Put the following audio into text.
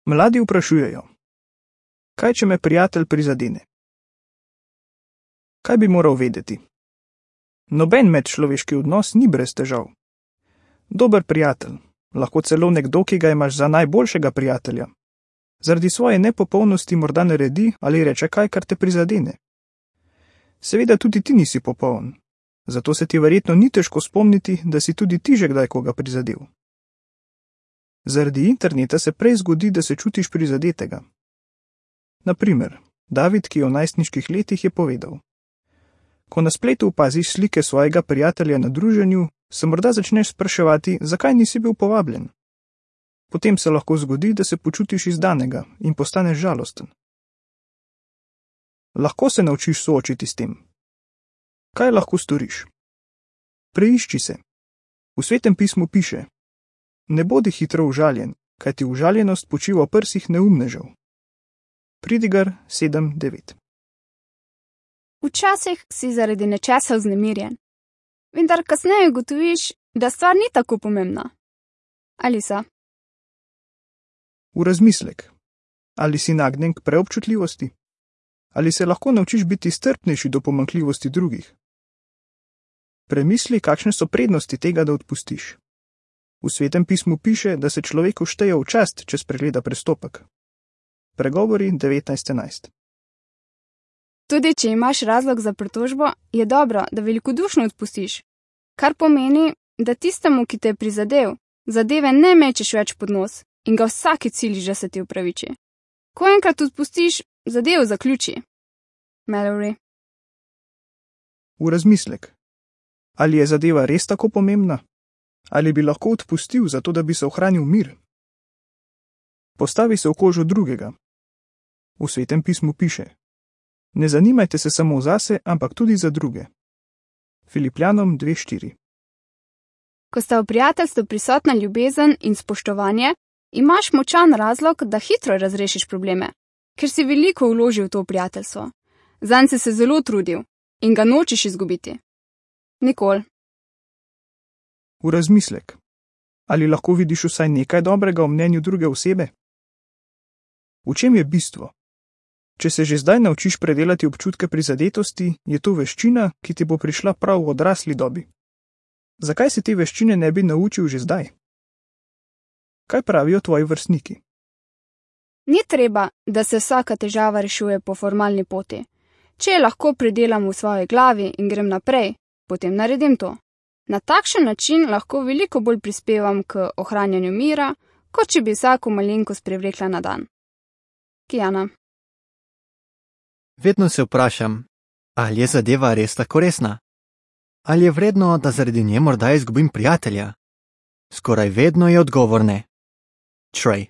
Mladi vprašujejo: kaj, če me prijatelj prizadene? Kaj bi moral vedeti? Noben medčloveški odnos ni brez težav. Dober prijatelj, lahko celo nekdo, ki ga imaš za najboljšega prijatelja, zaradi svoje nepopolnosti morda naredi ali reče kaj, kar te prizadene. Seveda tudi ti nisi popoln, zato se ti verjetno ni težko spomniti, da si tudi ti že kdaj koga prizadel. Zaradi interneta se prej zgodi, da se čutiš prizadetega. Naprimer, David, ki je v najstniških letih, je povedal: ko na spletu opaziš slike svojega prijatelja na druženju, se morda začneš spraševati, zakaj nisi bil povabljen. Potem se lahko zgodi, da se počutiš izdanega in postaneš žalosten. Lahko se naučiš soočiti s tem. Kaj lahko storiš? Preišči se. V Svetem pismu piše: ne bodi hitro užaljen, kajti užaljenost počiva v prsih neumnežev. Pridigar 7:9. Včasih si zaradi nečesa vznemirjen, vendar kasneje ugotoviš, da stvar ni tako pomembna. Ali so? V razmislek. Ali si nagnjen k preobčutljivosti? Ali se lahko naučiš biti strpnejši do pomanjkljivosti drugih? Premisli, kakšne so prednosti tega, da odpustiš. V Svetem pismu piše, da se človeku šteje v čast, če spregleda prestopek. Pregovori 19:11. Tudi če imaš razlog za pritožbo, je dobro, da velikodušno odpustiš, kar pomeni, da tistemu, ki te je prizadel, zadeve ne mečeš več pod nos in ga vsakič siliš, da se ti opraviči. Ko enkrat odpustiš, zadevo zaključi. Mallory. V razmislek. Ali je zadeva res tako pomembna? Ali bi lahko odpustil, zato da bi se ohranil mir? Postavi se v kožo drugega. V Svetem pismu piše: ne zanimajte se samo zase, ampak tudi za druge. Filipljanom 2:4. Ko sta v prijateljstvu prisotna ljubezen in spoštovanje, imaš močan razlog, da hitro razrešiš probleme, ker si veliko vložil v to prijateljstvo. Zanj si se zelo trudil in ga nočeš izgubiti. Nikoli. V razmislek. Ali lahko vidiš vsaj nekaj dobrega v mnenju druge osebe? V čem je bistvo? Če se že zdaj naučiš predelati občutke prizadetosti, je to veščina, ki ti bo prišla prav v odrasli dobi. Zakaj se te veščine ne bi naučil že zdaj? Kaj pravijo tvoji vrstniki? Ni treba, da se vsaka težava rešuje po formalni poti. Če lahko predelam v svoji glavi in grem naprej, potem naredim to. Na takšen način lahko veliko bolj prispevam k ohranjanju mira, kot če bi vsako malenkost prevlekla na dan. Kijana. Vedno se vprašam, ali je zadeva res tako resna? Ali je vredno, da zaradi nje morda izgubim prijatelja? Skoraj vedno je odgovor ne. Trey.